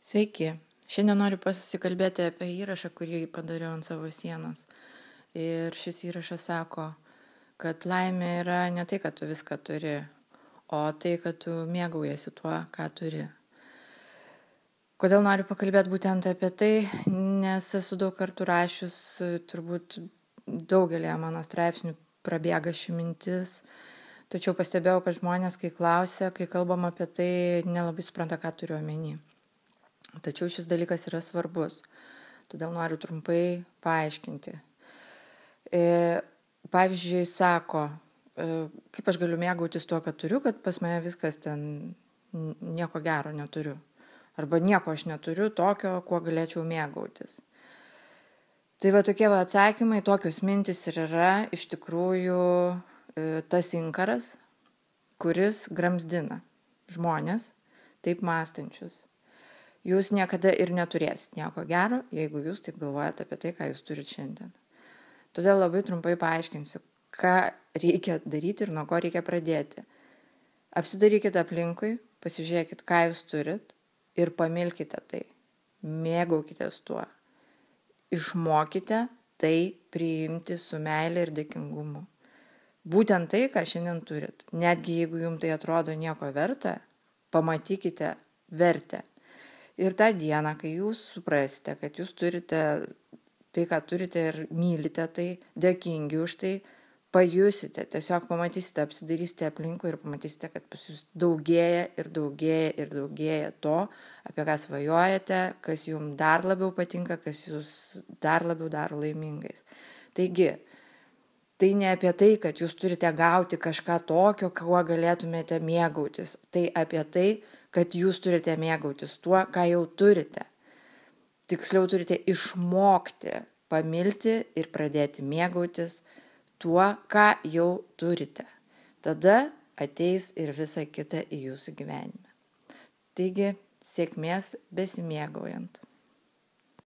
Sveiki. Šiandien noriu pasikalbėti apie įrašą, kurį padariau ant savo sienos. Ir šis įrašas sako, kad laimė yra ne tai, kad tu viską turi, o tai, kad tu mėgaujasi tuo, ką turi. Kodėl noriu pakalbėti būtent apie tai, nes esu daug kartų rašius, turbūt daugelėje mano straipsnių prabėga ši mintis, tačiau pastebėjau, kad žmonės, kai klausia, kai kalbam apie tai, nelabai supranta, ką turiu omeny. Tačiau šis dalykas yra svarbus, todėl noriu trumpai paaiškinti. Pavyzdžiui, sako, kaip aš galiu mėgautis tuo, kad turiu, kad pas mane viskas ten nieko gero neturiu. Arba nieko aš neturiu tokio, kuo galėčiau mėgautis. Tai tokie atsakymai, tokios mintis ir yra iš tikrųjų tas inkaras, kuris gramzdina žmonės, taip mąstančius. Jūs niekada ir neturėsit nieko gero, jeigu jūs taip galvojate apie tai, ką jūs turit šiandien. Todėl labai trumpai paaiškinsiu, ką reikia daryti ir nuo ko reikia pradėti. Apsidarykite aplinkui, pasižiūrėkit, ką jūs turit ir pamilkite tai. Mėgaukitės tuo. Išmokite tai priimti su meile ir dėkingumu. Būtent tai, ką šiandien turit. Netgi jeigu jums tai atrodo nieko verta, pamatykite vertę. Ir tą dieną, kai jūs suprasite, kad jūs turite tai, ką turite ir mylite tai, dėkingi už tai, pajusite, tiesiog pamatysite, apsidarysite aplinkui ir pamatysite, kad pas jūs daugėja ir daugėja ir daugėja to, apie ką svajojate, kas jums dar labiau patinka, kas jūs dar labiau daro laimingais. Taigi, tai ne apie tai, kad jūs turite gauti kažką tokio, kuo galėtumėte mėgautis. Tai apie tai, kad jūs turite mėgautis tuo, ką jau turite. Tiksliau turite išmokti, pamilti ir pradėti mėgautis tuo, ką jau turite. Tada ateis ir visa kita į jūsų gyvenimą. Taigi, sėkmės besimėgaujant.